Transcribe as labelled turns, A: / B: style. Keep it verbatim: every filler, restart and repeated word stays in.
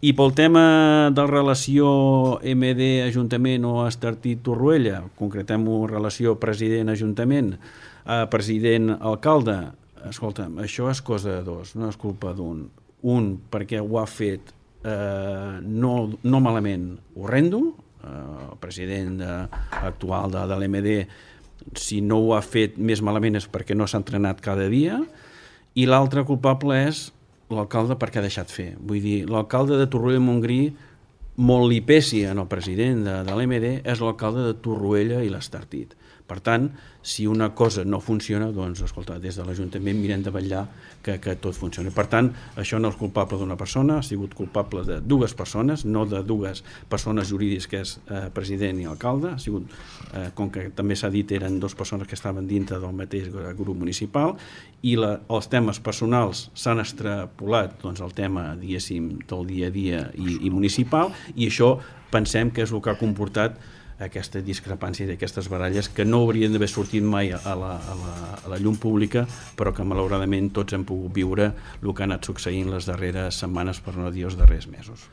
A: I pel tema de relació M D Ajuntament o Estartit Torroella, concretem-ho relació president-ajuntament, eh, president-alcalde, escolta'm, això és cosa de dos, no és culpa d'un. Un, perquè ho ha fet eh, no, no malament horrendo, eh, el president de, actual de, de l'M D, si no ho ha fet més malament és perquè no s'ha entrenat cada dia, i l'altre culpable és l'alcalde perquè ha deixat fer. Vull dir, l'alcalde de Torroella de Montgrí, molt li pesi en el president de, de l'M D, és l'alcalde de Torroella i l'Estartit. Per tant, si una cosa no funciona, doncs, escolta, des de l'Ajuntament mirem de vetllar que, que tot funcioni. Per tant, això no és culpable d'una persona, ha sigut culpable de dues persones, no de dues persones jurídiques, que és eh, president i alcalde. Ha sigut, eh, com que també s'ha dit, eren dues persones que estaven dintre del mateix grup municipal, i la, els temes personals s'han extrapolat, doncs, el tema, diguéssim, del dia a dia i, i municipal, i això pensem que és el que ha comportat aquesta discrepància d'aquestes baralles que no haurien d'haver sortit mai a la, a, la, a la llum pública, però que malauradament tots hem pogut viure el que ha anat succeint les darreres setmanes, per no dir els darrers mesos.